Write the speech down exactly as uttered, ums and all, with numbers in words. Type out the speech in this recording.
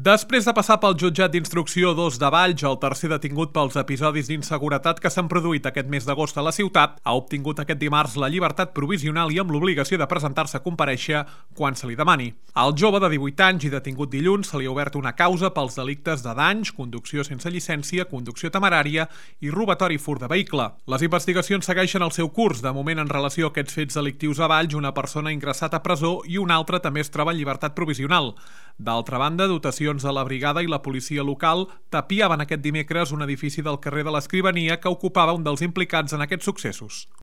Després de passar pel jutjat d'instrucció dos de Valls, el tercer detingut pels episodis d'inseguretat que s'han produït aquest mes d'agost a la ciutat, ha obtingut aquest dimarts la llibertat provisional i amb l'obligació de presentar-se a comparèixer quan se li demani. Al jove de divuit anys i detingut dilluns se li ha obert una causa pels delictes de danys, conducció sense llicència, conducció temerària i robatori furt de vehicle. Les investigacions segueixen el seu curs. De moment, en relació a aquests fets delictius a Valls, una persona ha ingressat a presó i una altra també es troba en llibertat provisional. D'altra banda, dotacions de la brigada i la policia local tapiaven aquest dimecres un edifici del carrer de l'Escrivania que ocupava un dels implicats en aquests successos.